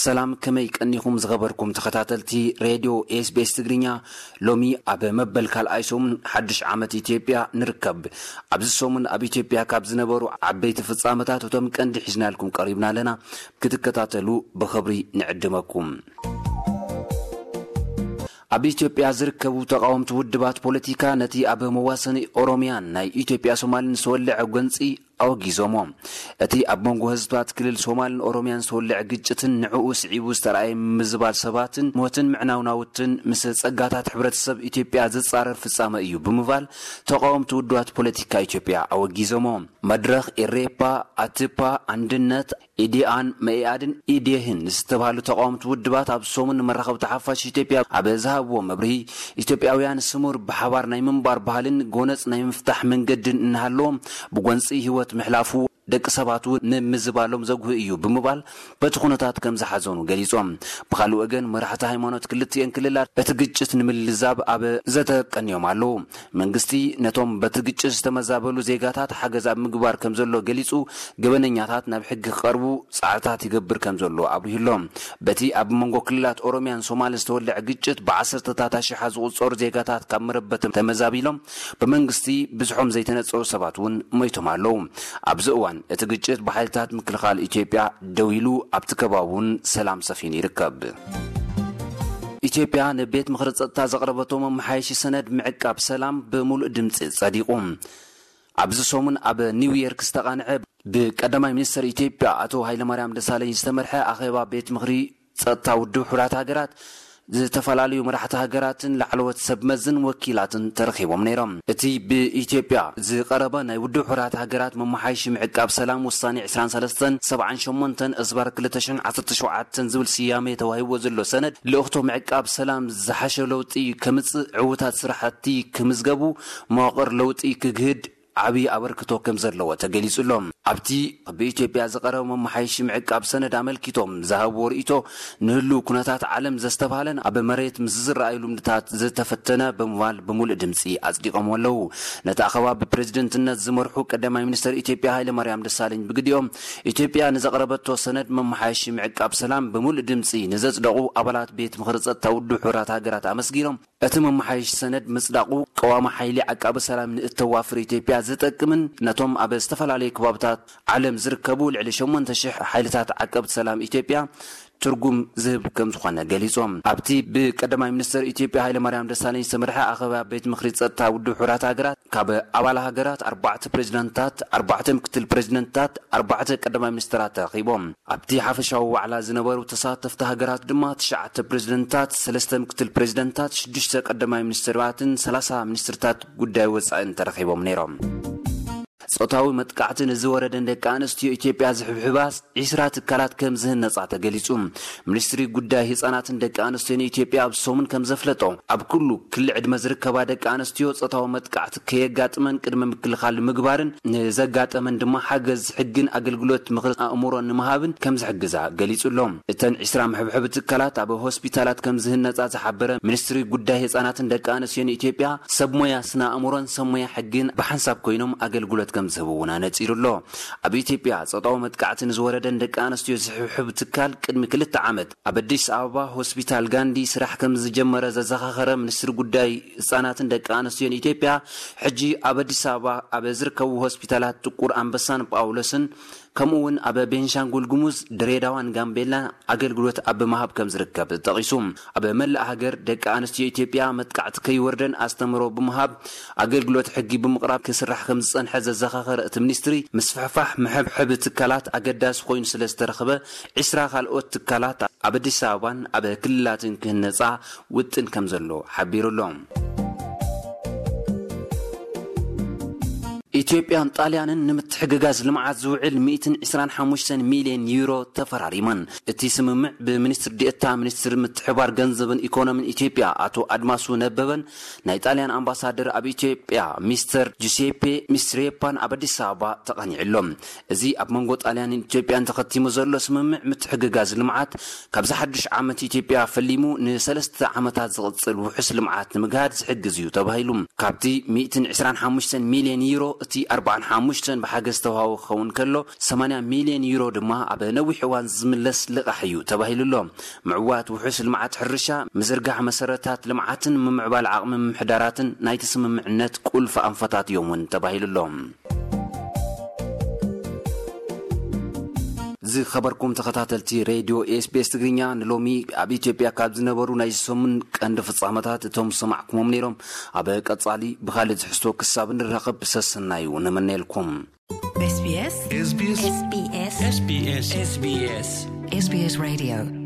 ሰላም፣ ከመይ ቀኒኹም ዝኸበርኩም ተኸታተልቲ ሬድዮ ኤስቢኤስ ትግርኛ? ሎሚ ኣብ መበል ካልኣይ ሰሙን ሓድሽ ዓመት ኢትዮጵያ ንርከብ። ኣብዚ ሰሙን ኣብ ኢትዮጵያ ካብ ዝነበሩ ዓበይቲ ፍጻመታት እቶም ቀንዲ ሒዝናልኩም ቀሪብና ኣለና። ክትከታተሉ ብኽብሪ ንዕድመኩም። ኣብ ኢትዮጵያ ዝርከቡ ተቓወምቲ ውድባት ፖለቲካ ነቲ ኣብ መዋሰኒ ኦሮሚያን ናይ ኢትዮጵያ ሶማልን ዝተወልዐ ጎንጺ ኣወጊዞሞ። እቲ ኣብ መንጎ ህዝብታት ክልል ሶማልን ኦሮሚያን ዝተወልዐ ግጭትን ንዕኡ ስዒቡ ዝተረኣየ ምዝባል ሰባትን ሞትን ምዕናው ናውትን ምስ ጸጋታት ሕብረተሰብ ኢትዮጵያ ዝጻረር ፍጻመ እዩ ብምባል ተቓወምቲ ውድባት ፖለቲካ ኢትዮጵያ ኣወጊዞሞ። መድረኽ፣ ኤሬፓ፣ ኣትፓ፣ ኣንድነት፣ ኢዲኣን መኢኣድን ኢዴህን ዝተባህሉ ተቓወምቲ ውድባት ኣብ ሰሙን ንመራኸብቲ ሓፋሽ ኢትዮጵያ ኣብ ዝሃብዎ መብርሂ፣ ኢትዮጵያውያን ስሙር ብሓባር ናይ ምንባር ባህልን ጎነጽ ናይ ምፍታሕ መንገድን እናሃለዎም ብጎንጺ ህይወት ምሕላፉ ደቂ ሰባት እውን ንምዝባሎም ዘጉህ እዩ ብምባል በቲ ኩነታት ከም ዝሓዘኑ ገሊጾም። ብኻልእ ወገን መራሕቲ ሃይማኖት ክልቲኤን ክልላት እቲ ግጭት ንምልዛብ ኣብ ዘተ ቀንዮም ኣለዉ። መንግስቲ ነቶም በቲ ግጭት ዝተመዛበሉ ዜጋታት ሓገዝ ኣብ ምግባር ከም ዘሎ ገሊጹ፣ ገበነኛታት ናብ ሕጊ ክቐርቡ ጻዕርታት ይገብር ከም ዘሎ ኣብሪሁሎም። በቲ ኣብ መንጎ ክልላት ኦሮሚያን ሶማልን ዝተወልዐ ግጭት ብዓሰርተታት ኣሽሓት ዝቑጸሩ ዜጋታት ካብ መረበቶም ተመዛቢሎም ብመንግስቲ ብዝሖም ዘይተነጸሩ ሰባት እውን ሞይቶም ኣለዉ። ኣብዚ እዋን እቲ ግጭት ብሓይልታት ምክልኻል ኢትዮጵያ ደው ኢሉ ኣብቲ ከባቢ እውን ሰላም ሰፊኑ ይርከብ። ኢትዮጵያ ንቤት ምኽሪ ጸጥታ ዘቕረበቶ መመሓየሺ ሰነድ ምዕቃብ ሰላም ብምሉእ ድምጺ ጸዲቑ። ኣብዚ ሰሙን ኣብ ኒውዮርክ ዝተቓንዐ ብቀዳማይ ሚኒስትር ኢትዮጵያ ኣቶ ሃይለማርያም ደሳለኝ ዝተመርሐ ኣኼባ ቤት ምኽሪ ጸጥታ ውድብ ሕቡራት ሃገራት ዝተፈላለዩ መራሕቲ ሃገራትን ላዕለዎት ሰብ መዝን ወኪላትን ተረኺቦም ነይሮም። እቲ ብኢትዮጵያ ዝቐረበ ናይ ውድብ ሕቡራት ሃገራት መመሓየሺ ምዕቃብ ሰላም ውሳኔ ዕስራን ሰለስተን ሰብዓን ሸሞንተን እዝባር ክልተ ሽሕን ዓሰርተ ሸውዓተን ዝብል ስያሜ ተዋሂብዎ ዘሎ ሰነድ፣ ልእኽቶ ምዕቃብ ሰላም ዝሓሸ ለውጢ ከምጽእ፣ ዕዉታት ስራሕቲ ክምዝገቡ፣ መዋቕር ለውጢ ክግህድ ዓብዪ ኣበርክቶ ከም ዘለዎ ተገሊጹ ኣሎ። ኣብቲ ብኢትዮጵያ ዝቐረበ መመሓየሺ ምዕቃብ ሰነድ ኣመልኪቶም ዝሃብዎ ርእይቶ፣ ንህልው ኩነታት ዓለም ዘስተብሃለን ኣብ መሬት ምስ ዝረኣዩ ልምድታት ዝተፈተነ ብምባል ብምሉእ ድምጺ ኣጽዲቖምዎ ኣለዉ። ነቲ ኣኼባ ብፕሬዝደንትነት ዝመርሑ ቀዳማይ ሚኒስትር ኢትዮጵያ ሃይለማርያም ደሳለኝ ብግዲኦም፣ ኢትዮጵያ ንዘቕረበቶ ሰነድ መመሓየሺ ምዕቃብ ሰላም ብምሉእ ድምጺ ንዘጽደቑ ኣባላት ቤት ምኽሪ ጸጥታ ውድብ ሕቡራት ሃገራት ኣመስጊኖም፣ እቲ መመሓየሺ ሰነድ ምጽዳቑ ቀዋሚ ሓይሊ ዓቃቢ ሰላም ንእተዋፍር ኢትዮጵያ ዝጠቅምን ነቶም ኣብ ዝተፈላለዩ ከባብታት ዓለም ዝርከቡ ልዕሊ ሸሞንተ ሽሕ ሓይልታት ዓቀብቲ ሰላም ኢትዮጵያ ትርጉም ዝህብ ከም ዝኾነ ገሊጾም። ኣብቲ ብቀዳማይ ሚኒስትር ኢትዮጵያ ሃይለማርያም ደሳለኝ ዝተመርሐ ኣኼባ ቤት ምኽሪ ጸጥታ ውድብ ሕቡራት ሃገራት፣ ካብ ኣባል ሃገራት ኣርባዕተ ፕሬዝደንታት፣ ኣርባዕተ ምክትል ፕሬዝደንታት፣ ኣርባዕተ ቀዳማይ ሚኒስትራት ተረኺቦም። ኣብቲ ሓፈሻዊ ዋዕላ ዝነበሩ ተሳተፍቲ ሃገራት ድማ ትሽዓተ ፕሬዝደንታት፣ ሰለስተ ምክትል ፕሬዝደንታት፣ ሽዱሽተ ቀዳማይ ሚኒስትራትን ሰላሳ ሚኒስትርታት ጉዳይ ወጻኢን ተረኺቦም ነይሮም። ጾታዊ መጥቃዕቲ ንዝወረደን ደቂ ኣንስትዮ ኢትዮጵያ ዝሕብሕባ ዒስራ ትካላት ከም ዝህነጻ ተገሊጹ። ሚኒስትሪ ጉዳይ ህጻናትን ደቂ ኣንስትዮን ኢትዮጵያ ኣብ ሰሙን ከም ዘፍለጦ፣ ኣብ ኩሉ ክሊ ዕድመ ዝርከባ ደቂ ኣንስትዮ ጾታዊ መጥቃዕቲ ከየጋጥመን ቅድመ ምክልኻል ንምግባርን ንዘጋጠመን ድማ ሓገዝ ሕግን ኣገልግሎት ምኽሪ ኣእምሮ ንምሃብን ከም ዝሕግዛ ገሊጹ ኣሎ። እተን ዒስራ መሕብሐቢ ትካላት ኣብ ሆስፒታላት ከም ዝህነጻ ዝሓበረ ሚኒስትሪ ጉዳይ ህጻናትን ደቂ ኣንስትዮን ኢትዮጵያ፣ ሰብ ሞያ ስነ ኣእምሮን ሰብ ሞያ ሕግን ብሓንሳብ ኮይኖም ኣገልግሎት ከም ዝህቡ እውን ኣነጺሩ ኣሎ። ኣብ ኢትዮጵያ ጾታዊ መጥቃዕቲ ንዝወረደን ደቂ ኣንስትዮ ዝሕብሕብ ትካል ቅድሚ ክልተ ዓመት ኣብ ኣዲስ ኣበባ ሆስፒታል ጋንዲ ስራሕ ከም ዝጀመረ ዘዘኻኸረ ሚኒስትሪ ጉዳይ ህጻናትን ደቂ ኣንስትዮን ኢትዮጵያ፣ ሕጂ ኣብ ኣዲስ ኣበባ ኣብ ዝርከቡ ሆስፒታላት ጥቁር ኣንበሳን ጳውሎስን፣ ከምኡ እውን ኣብ ቤንሻንጉል ጉሙዝ፣ ድሬዳዋን ጋምቤላ ኣገልግሎት ኣብ ምሃብ ከም ዝርከብ ጠቒሱ። ኣብ መላእ ሃገር ደቂ ኣንስትዮ ኢትዮጵያ መጥቃዕቲ ከይወርደን ኣስተምህሮ ብምሃብ ኣገልግሎት ሕጊ ብምቕራብ ክስራሕ ከም ዝጸንሐ ዘዘኻኸረ እቲ ሚኒስትሪ፣ ምስፍሕፋሕ መሐብሐቢ ትካላት ኣገዳሲ ኮይኑ ስለ ዝተረኽበ፣ ዒስራ ካልኦት ትካላት ኣብ ኣዲስ ኣበባን ኣብ ክልላትን ክህነጻ ውጥን ከም ዘሎ ሓቢሩ ኣሎ። ኢትዮጵያን ጣልያንን ንምትሕግጋዝ ልምዓት ዝውዕል ሚእትን ዕስራን ሓሙሽተን ሚልዮን ዩሮ ተፈራሪመን። እቲ ስምምዕ ብሚኒስትር ዲኤታ ሚኒስትሪ ምትሕባር ገንዘብን ኢኮኖሚን ኢትዮጵያ ኣቶ ኣድማሱ ነበበን ናይ ጣልያን ኣምባሳደር ኣብ ኢትዮጵያ ሚስተር ጁሴፔ ሚስትሬፓን ኣብ ኣዲስ ኣበባ ተቐኒዑ ኣሎ። እዚ ኣብ መንጎ ጣልያንን ኢትዮጵያን ተኸቲሙ ዘሎ ስምምዕ ምትሕግጋዝ ልምዓት፣ ካብዚ ሓድሽ ዓመት ኢትዮጵያ ፈሊሙ ንሰለስተ ዓመታት ዝቕጽል ውሑስ ልምዓት ንምግሃድ ዝሕግዝ እዩ ተባሂሉ። ካብቲ ሚእትን ዕስራን ሓሙሽተን ሚልዮን ዩሮ፣ እቲ ኣርባዓን ሓሙሽተን ብሓገዝ ተዋህቦ ክኸውን ከሎ፣ ሰማንያ ሚልዮን ዩሮ ድማ ኣብ ነዊሕ እዋን ዝምለስ ልቓሕ እዩ ተባሂሉ ኣሎ። ምዕዋት ውሑስ ልምዓት ሕርሻ፣ ምዝርጋሕ መሰረታት ልምዓትን ምምዕባል ዓቕሚ ምምሕዳራትን ናይቲ ስምምዕነት ቁልፊ ኣንፈታት እዮም እውን ተባሂሉ ኣሎ። ዝኸበርኩም ተኸታተልቲ ሬድዮ ኤስቢኤስ ትግርኛ፣ ንሎሚ ኣብ ኢትዮጵያ ካብ ዝነበሩ ናይ ሰሙን ቀንዲ ፍጻመታት እቶም ዝሰማዕኩሞም ነይሮም። ኣብ ቀጻሊ ብኻልእ ትሕዝቶ ክሳብ ንራኸብ ሰሰናዩ ንምነየልኩም። SBS SBS SBS SBS SBS Radio